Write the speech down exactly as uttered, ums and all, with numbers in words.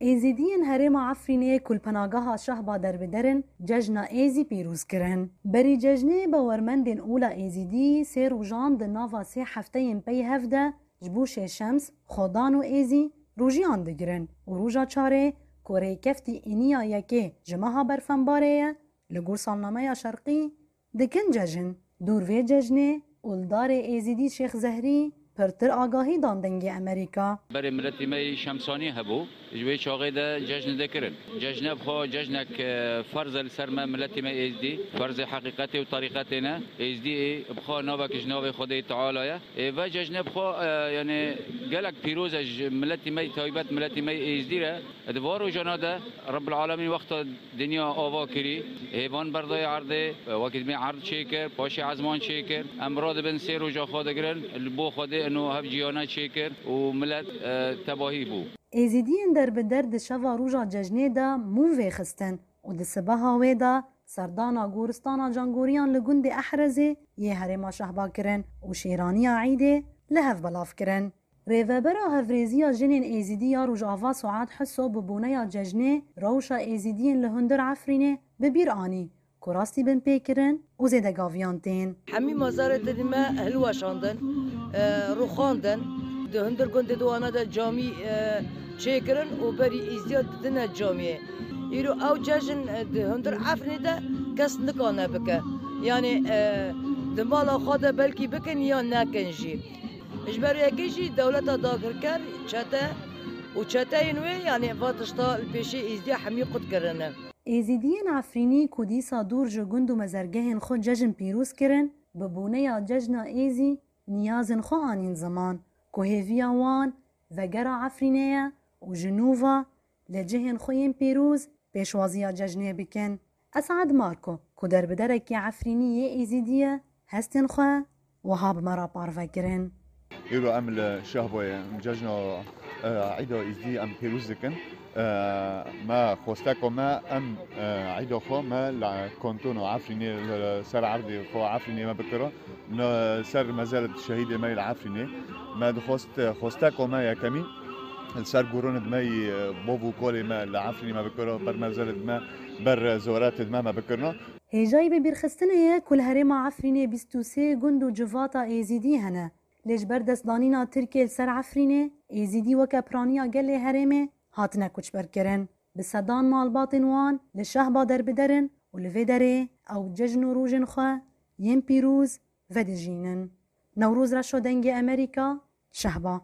Êzîdiyên herêma Efrînê ku li penageha Şehba derbider in, cejna Êzî pîroz kirin. Berî cejnê bawermendên ola Êzîdî sê rojan di nava sê hefteyên pey hev de ji bo şêşems, xwedan û Êzî rojiyan digirin û roja çarê ku rêkeftî îniya yekê ji meha Berfembarê ye, li gor salnameya şerqî, dikin cejn. Dûr vê cejnê, oldarê Êzîdî Şêx Zehrî pirtir agahî dan Dengê Emerîka. Berê miletî me yî Şemsanî hebû. Ji wê çaxê de cejn dikirin. Cejne bi xwe cejnek, e, ferz e li ser me, miletî me Êzdî. Ferzê heqîqetê û terîqetê ne. Êzdî ê bi xwe navek ji navê Xwedê Teala ye. Ê ve cejne bi xwe, e, yani gelek pîroz e ji miletî me taybet, miletî me Êzdî re. Di van rojana de Rebbil Alemîn wexta dinya ava kirî, hêvan berdayê erdê, wekî dibê erd çêkir, paşê ezman çêkir. Em radibin sê roja xwe digirin, li bo Xwedê ino hev cîhana çêkir û milet, e, tebahî bû. Êzîdiyên derbider di şeva roja cejnê de mûn vêxistin û di sibeha wê de serdana goristana cangoriyan li gundê Ehrezê yê herêma Şehba kirin û şêraniya Eîdê li hev belav kirin. Rêvebera Hevrêziya Jinên Êzîdî ya Rojava Suad Hiso bi boneya cejnê rewşa Êzîdiyên li hundir Efrînê bi bîr anî ku rastî binpêkirin û zêdegaviyan tên. Hemî mazarê dilî me hilweşandin, e, rûxandin. Di hundir gundê di wana de camî, e, çêkirin û berî Êzdiya didine camiyê. Îro ew cejn, e, di hundir Efrînê de kes nikane bike. Yanî, e, di mala xwe de belkî bikin ya nekin jî. Ji ber yekê jî dewleta dagirker, çete û çeteyên wê, yanî va tişta li pêşî Êzdiya hemî qut kirine. Êzîdiyên Efrînî ku dîsa dûr ji gund û mezergehên xwe cejn pîroz kirin, bi boneya cejna Êzî niyazên xwe anîn ziman ku hêviya wan vegera Efrînê ye û ji nû ve li cihên xwe yên pîroz pêşwaziya cejnê bikin. Esad Marko ku derbiderekî Efrînî yê Êzîdî ye, hestên xwe wiha bi me re parve kirin. Îro em li Şehboyê em cejna, e, Îda Îzdî em pêroz dikin. E, me xwesteko me em, e, Îda xwe me li kontona Efrînê li ser erdê xwe Efrînê me bikira. Li ser mezelê şehîdê me yê li Efrînê. Me dixwest, xwesteko me yekemîn li ser goranê me yî, e, bav û kalê me li Efrînê me bikira, ber mezelê me, ber ziyaretê me me bikirina. Hêjayî bibîrxistinê ye ku li herêma Efrînê bîst û sê gund û civata Êzîdî hene. Lê ji ber destdanîna Tirkiyê li ser Efrînê, Êzîdî weke piraniya gelê herêmê hatine koçberkirin. Bi sedan malbatên wan li Şehba derbider in û li vê derê ew cejn û rojên xwe yên pîroz vedijînin. Newroz Reşo, Dengê Emerîka, Şehba.